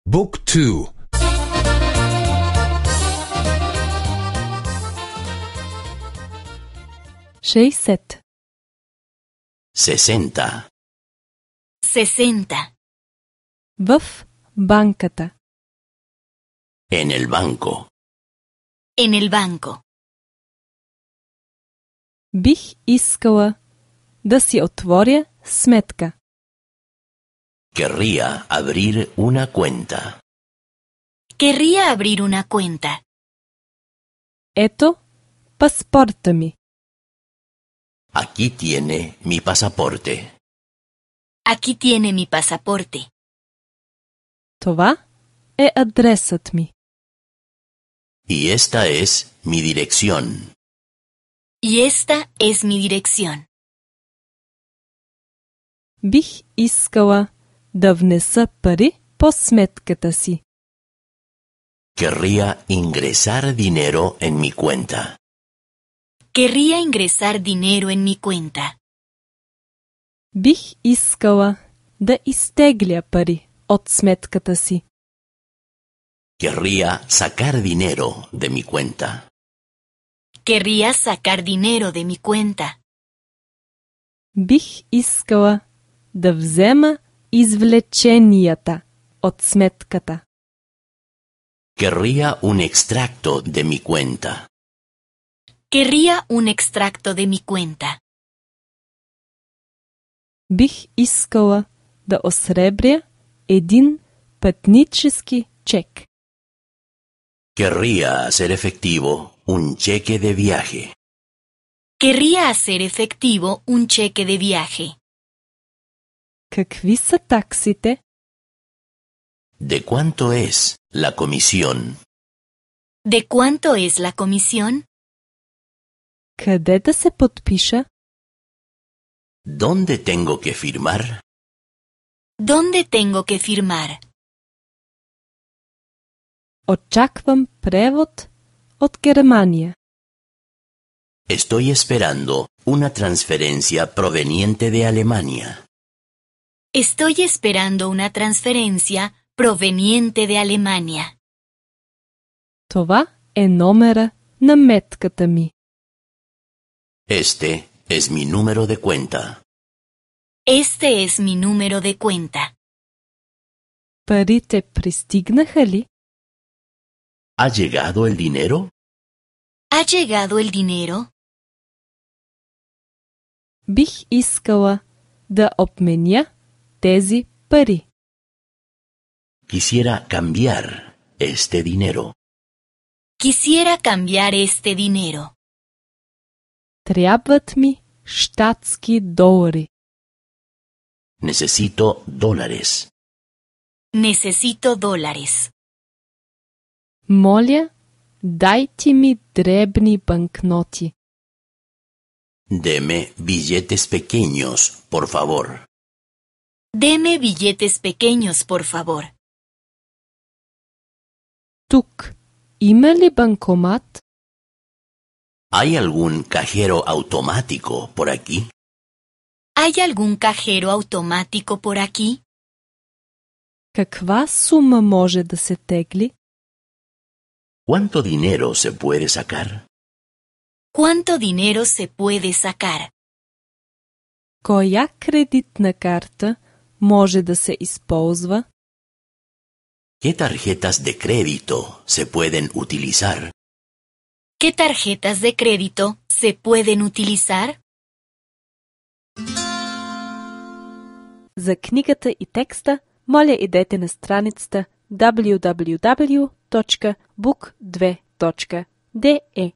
Book 2. 60. 60. 60. В банката. En el banco. En el banco. Бих искала да си отворя сметка. Querría abrir una cuenta. Querría abrir una cuenta. Ето паспорта ми. Aquí tiene mi pasaporte. Aquí tiene mi pasaporte. Това е адресът ми. Y esta es mi dirección. Y esta es mi dirección. Бих искала да внеса пари по сметката си. Querría ingresar dinero en mi cuenta. Querría ingresar dinero en mi cuenta. Бих искала да изтегля пари от сметката си. Querría sacar dinero de mi cuenta. Querría sacar dinero de mi cuenta. Бих искала да взема извлеченията от сметката. Querría un extracto de mi cuenta. Querría un extracto de mi cuenta. Бих искала да осребря един пътнически чек. Querría hacer efectivo un cheque de viaje. Querría hacer efectivo un cheque de viaje. Какви са таксите? ¿De cuánto es la comisión? ¿De cuánto es la comisión? Къде да се подпиша? ¿Dónde tengo que firmar? ¿Dónde tengo que firmar? Очаквам превод от Германия. Estoy esperando una transferencia proveniente de Alemania. Estoy esperando una transferencia proveniente de Alemania. Това е номера на метката ми. Este es mi número de cuenta. Este es mi número de cuenta. Парите пристигнаха ли? ¿Ha llegado el dinero? ¿Ha llegado el dinero? Бих искала да обменя тези пари. Quisiera cambiar este dinero. Quisiera cambiar este dinero. Трябват ми щатски долари. Necesito dólares. Necesito dólares. Моля, дайте ми дребни банкноти. Deme billetes pequeños, por favor. Deme billetes pequeños, por favor. Тук има ли банкомат? ¿Hay algún cajero automático por aquí? ¿Hay algún cajero automático por aquí? Каква сума може да се тегли? ¿Cuánto dinero se puede sacar? ¿Cuánto dinero se puede sacar? Коя кредитна карта може да се използва? ¿Qué tarjetas de crédito se pueden utilizar? ¿Qué tarjetas de crédito se pueden utilizar? За книгата и текста, моля идете на страницата www.book2.de.